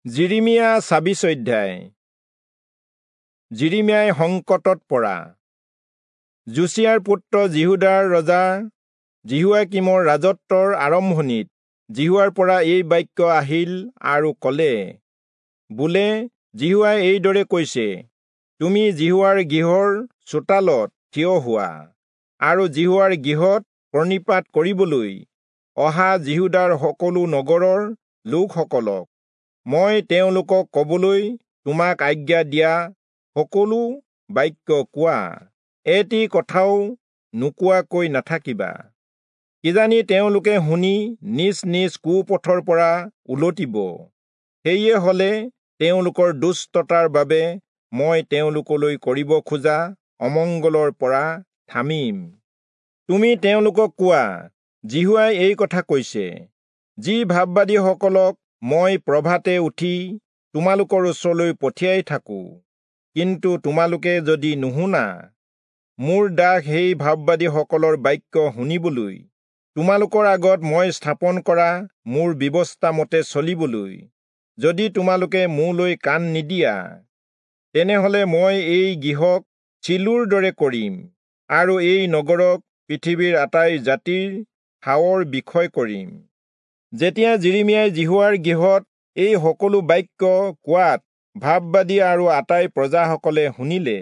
যিৰিমিয়া 26 অধ্যায়। যিৰিমিয়াই সংকটত পৰা। যোচিয়াৰ পুত্ৰ যিহূদাৰ ৰজা যিহোয়াকীমৰ ৰাজত্বৰ আৰম্ভণিত যিহোৱাৰ পৰা এই বাক্য আহিল আৰু ক'লে, বোলে, যিহোৱাই এইদৰে কৈছে, তুমি যিহোৱাৰ গৃহৰ চোতালত থিয় হোৱা আৰু যিহোৱাৰ গৃহত প্ৰণিপাত কৰিবলৈ অহা যিহূদাৰ সকলো নগৰৰ লোকসকলক মই তেওঁলোকক ক'বলৈ তোমাক আজ্ঞা দিয়া সকলো বাক্য কোৱা, এটি কথাও নোকোৱাকৈ নাথাকিবা। কিজানি তেওঁলোকে শুনি নিজ নিজ কুপথৰ পৰা উলটিব, সেয়ে হ'লে তেওঁলোকৰ দুষ্টতাৰ বাবে মই তেওঁলোকলৈ কৰিব খোজা অমংগলৰ পৰা থামিম। তুমি তেওঁলোকক কোৱা, যিহোৱাই এই কথা কৈছে, যি ভাববাদীসকলক মই প্ৰভাতে উঠি তোমালোকৰ ওচৰলৈ পঠিয়াই থাকোঁ, কিন্তু তোমালোকে যদি নুশুনা, মোৰ দাস সেই ভাববাদীসকলৰ বাক্য শুনিবলৈ, তোমালোকৰ আগত মই স্থাপন কৰা মোৰ ব্যৱস্থা মতে চলিবলৈ যদি তোমালোকে মোলৈ কাণ নিদিয়া, তেনেহ'লে মই এই গৃহক চিলোৰ দৰে কৰিম আৰু এই নগৰক পৃথিৱীৰ আটাই জাতিৰ ঠাৱৰ বিষয় কৰিম। যেতিয়া যিৰিমিয়াই যিহোৱাৰ গৃহত এই সকলো বাক্য কোৱাত ভাববাদী আৰু আটাই প্ৰজাসকলে শুনিলে,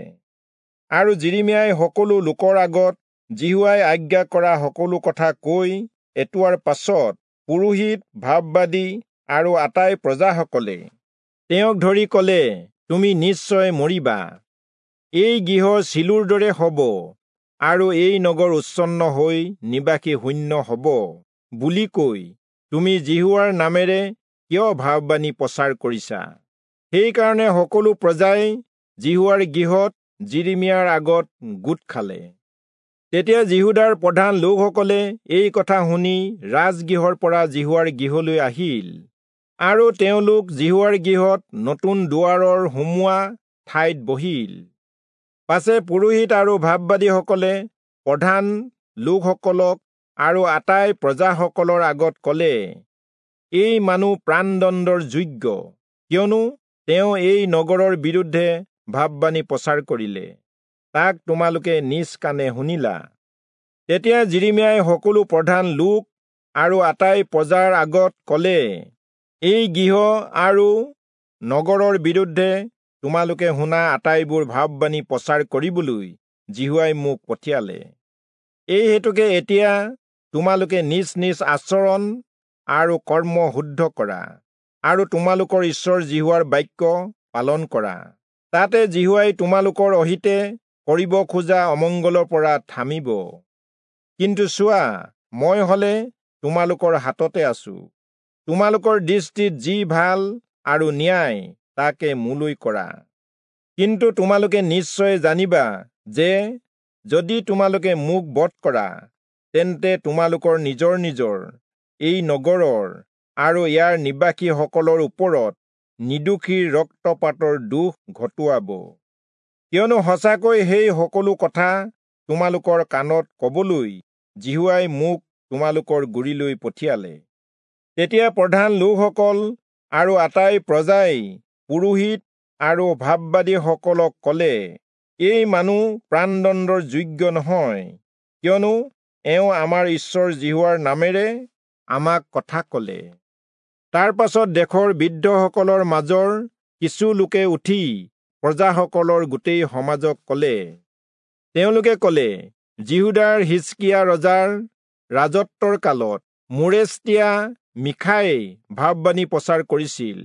আৰু যিৰিমিয়াই সকলো লোকৰ আগত যিহোৱাই আজ্ঞা কৰা সকলো কথা কৈ এটোৱাৰ পাছত পুৰোহিত, ভাববাদী আৰু আটাই প্ৰজাসকলে তেওঁক ধৰি ক'লে, তুমি নিশ্চয় মৰিবা। এই গৃহ চিলোৰ দৰে হ'ব আৰু এই নগৰ উচ্ছন্ন হৈ নিবাসী শূন্য হ'ব বুলি কৈ তুমি যিহোৱাৰ নামেৰে কিয় ভাববাণী প্ৰচাৰ কৰিছা? সেইকাৰণে সকলো প্ৰজাই যিহোৱাৰ গৃহত যিৰিমিয়াৰ আগত গোট খালে। তেতিয়া যিহূদাৰ প্ৰধান লোকসকলে এই কথা শুনি ৰাজগৃহৰ পৰা যিহোৱাৰ গৃহলৈ আহিল, আৰু তেওঁলোক যিহোৱাৰ গৃহত নতুন দুৱাৰৰ সোমোৱা ঠাইত বহিল। পাছে পুৰোহিত আৰু ভাববাদীসকলে প্ৰধান লোকসকলক আৰু আটাই প্ৰজাসকলৰ আগত ক'লে, এই মানুহ প্ৰাণদণ্ডৰ যোগ্য, কিয়নো তেওঁ এই নগৰৰ বিৰুদ্ধে ভাববাণী প্ৰচাৰ কৰিলে, তাক তোমালোকে নিজ কাণে শুনিলা। তেতিয়া যিৰিমিয়াই সকলো প্ৰধান লোক আৰু আটাই প্ৰজাৰ আগত ক'লে, এই গৃহ আৰু নগৰৰ বিৰুদ্ধে তোমালোকে শুনা আটাইবোৰ ভাববাণী প্ৰচাৰ কৰিবলৈ যিহোৱাই মোক পঠিয়ালে। এই হেতুকে এতিয়া তোমালোকে নিজ নিজ আচৰণ আৰু কৰ্ম শুদ্ধ কৰা আৰু তোমালোকৰ ঈশ্বৰ যিহোৱাৰ বাক্য পালন কৰা। তাতে যিহোৱাই তোমালোকৰ অহিতে কৰিব খোজা অমংগলৰ পৰা থামিব। কিন্তু চোৱা, মই হ'লে তোমালোকৰ হাততে আছো। তোমালোকৰ দৃষ্টিত যি ভাল আৰু ন্যায় তাকে মোলৈ কৰা। কিন্তু তোমালোকে নিশ্চয় জানিবা যে যদি তোমালোকে মোক বধ কৰা, তেন্তে তোমালোকৰ নিজৰ নিজৰ এই নগৰৰ আৰু ইয়াৰ নিবাসীসকলৰ ওপৰত নিৰ্দোষীৰ ৰক্তপাতৰ দোষ ঘটোৱাব। কিয়নো সঁচাকৈ সেই সকলো কথা তোমালোকৰ কাণত কবলৈ যিহোৱাই মোক তোমালোকৰ গুৰিলৈ পঠিয়ালে। তেতিয়া প্ৰধান লোকসকল আৰু আটাই প্ৰজাই পুৰোহিত আৰু ভাববাদীসকলক ক'লে, এই মানুহ প্ৰাণদণ্ডৰ যোগ্য নহয়, কিয়নো এওঁ আমাৰ ঈশ্বৰ যিহোৱাৰ নামেৰে আমাক কথা ক'লে। তাৰ পাছত দেশৰ বৃদ্ধসকলৰ মাজৰ কিছু লোকে উঠি প্ৰজাসকলৰ গোটেই সমাজক ক'লে। তেওঁলোকে ক'লে, যিহূদাৰ হিজকিয়া ৰজাৰ ৰাজত্বৰ কালত মোৰেষ্টীয়া মীখাই ভাববাণী প্ৰচাৰ কৰিছিল।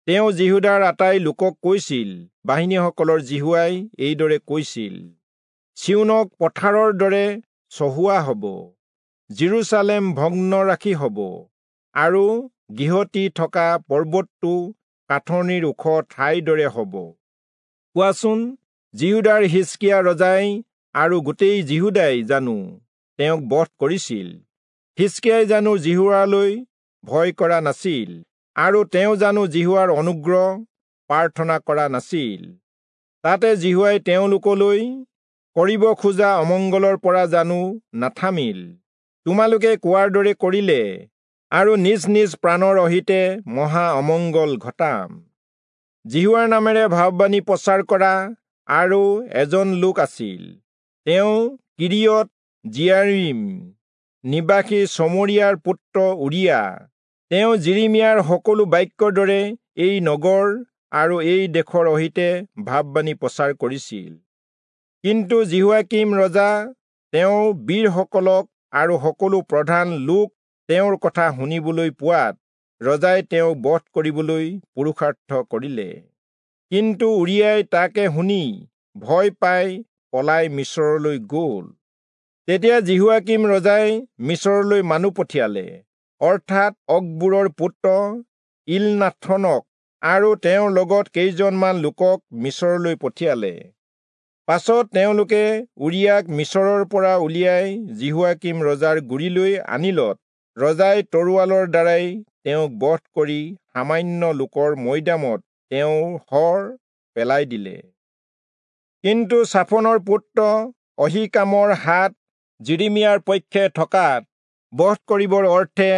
তেওঁ যিহূদাৰ আটাই লোকক কৈছিল, বাহিনীসকলৰ যিহোৱাই এইদৰে কৈছিল, চিয়োনক পথাৰৰ দৰে চহোৱা হ'ব, যিৰূচালেম ভগ্নৰাশি হ'ব, আৰু গৃহটি থকা পৰ্বতটো কাঠনিৰ ওখ ঠাইৰ দৰে হ'ব। কোৱাচোন, যিহূদাৰ হিজকিয়া ৰজাই আৰু গোটেই যিহূদাই জানো তেওঁক বধ কৰিছিল? হিজকিয়াই জানো যিহোৱালৈ ভয় কৰা নাছিল, আৰু তেওঁ জানো যিহোৱাৰ অনুগ্ৰহ প্ৰাৰ্থনা কৰা নাছিল? তাতে যিহোৱাই তেওঁলোকলৈ কৰিব খোজা অমংগলৰ পৰা জানো নাথামিল? তোমালোকে কোৱাৰ দৰে কৰিলে আৰু নিজ নিজ প্ৰাণৰ অহিতে মহা অমংগল ঘটাম। যিহোৱাৰ নামেৰে ভাববাণী প্ৰচাৰ কৰা আৰু এজন লোক আছিল, তেওঁ কিৰিয়ত যিয়াৰীম নিবাসী চমৰীয়াৰ পুত্ৰ উৰিয়া। তেওঁ যিৰিমিয়াৰ সকলো বাক্যৰ দৰে এই নগৰ আৰু এই দেশৰ অহিতে ভাববাণী প্ৰচাৰ কৰিছিল। কিন্তু যিহোৱাকীম ৰজা, তেওঁৰ বীৰসকলক আৰু সকলো প্ৰধান লোক তেওঁৰ কথা শুনিবলৈ পোৱাত ৰজাই তেওঁক বধ কৰিবলৈ পুৰুষাৰ্থ কৰিলে। কিন্তু উৰিয়াই তাকে শুনি ভয় পাই পলাই মিচৰলৈ গ'ল। তেতিয়া যিহোৱাকীম ৰজাই মিচৰলৈ মানুহ পঠিয়ালে, অৰ্থাৎ অকবোৰৰ পুত্ৰ ইলনাথনক আৰু তেওঁৰ লগত কেইজনমান লোকক মিচৰলৈ পঠিয়ালে। পাছত তেওঁলোকে উৰিয়াক মিচৰৰ পৰা উলিয়াই যিহোৱাকীম ৰজাৰ গুৰিলৈ আনিলত ৰজাই তৰোৱালৰ দ্বাৰাই তেওঁক বধ কৰি সামান্য লোকৰ মৈদামত তেওঁৰ শৰ পেলাই দিলে। কিন্তু চাফনৰ পুত্ৰ অহীকামৰ হাত যিৰিমিয়াৰ পক্ষে থকাত বধ কৰিবৰ অৰ্থে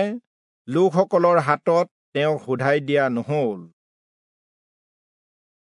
লোকসকলৰ হাতত তেওঁক শোধাই দিয়া নহল।